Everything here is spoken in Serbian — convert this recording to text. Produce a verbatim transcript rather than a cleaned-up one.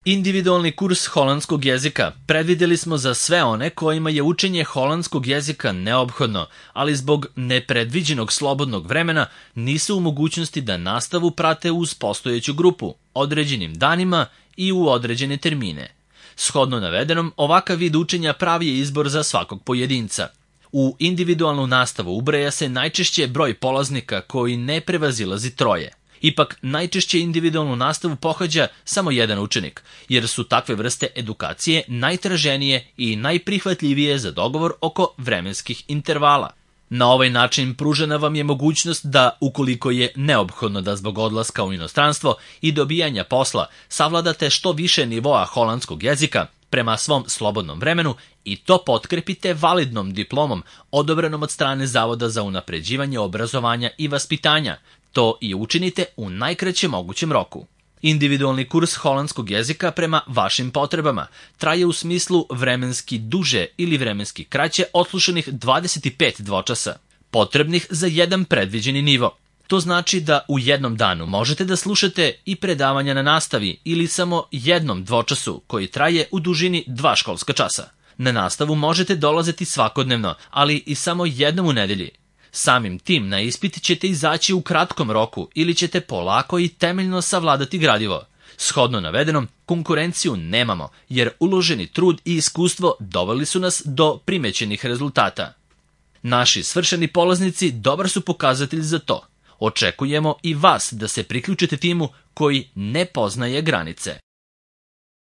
Individualni kurs holandskog jezika predvideli smo za sve one kojima je učenje holandskog jezika neophodno, ali zbog nepredviđenog slobodnog vremena nisu u mogućnosti da nastavu prate uz postojeću grupu, određenim danima i u određene termine. Shodno navedenom, ovakav vid učenja pravi je izbor za svakog pojedinca. U individualnu nastavu ubraja se najčešće broj polaznika koji ne prevazilazi troje. Ipak, najčešće individualnu nastavu pohađa samo jedan učenik, jer su takve vrste edukacije najtraženije i najprihvatljivije za dogovor oko vremenskih intervala. Na ovaj način pružena vam je mogućnost da, ukoliko je neophodno da zbog odlaska u inostranstvo i dobijanja posla savladate što više nivoa holandskog jezika prema svom slobodnom vremenu i to potkrepite validnom diplomom odobrenom od strane Zavoda za unapređivanje obrazovanja i vaspitanja. To i učinite u najkraćem mogućem roku. Individualni kurs holandskog jezika prema vašim potrebama traje u smislu vremenski duže ili vremenski kraće odslušanih dvadeset pet dvočasa, potrebnih za jedan predviđeni nivo. To znači da u jednom danu možete da slušate i predavanja na nastavi ili samo jednom dvočasu koji traje u dužini dva školska časa. Na nastavu možete dolaziti svakodnevno, ali i samo jednom u nedelji. Samim tim na ispit ćete izaći u kratkom roku ili ćete polako i temeljno savladati gradivo. Shodno navedenom, konkurenciju nemamo, jer uloženi trud i iskustvo doveli su nas do primećenih rezultata. Naši svršeni polaznici dobar su pokazatelj za to. Očekujemo i vas da se priključite timu koji ne poznaje granice.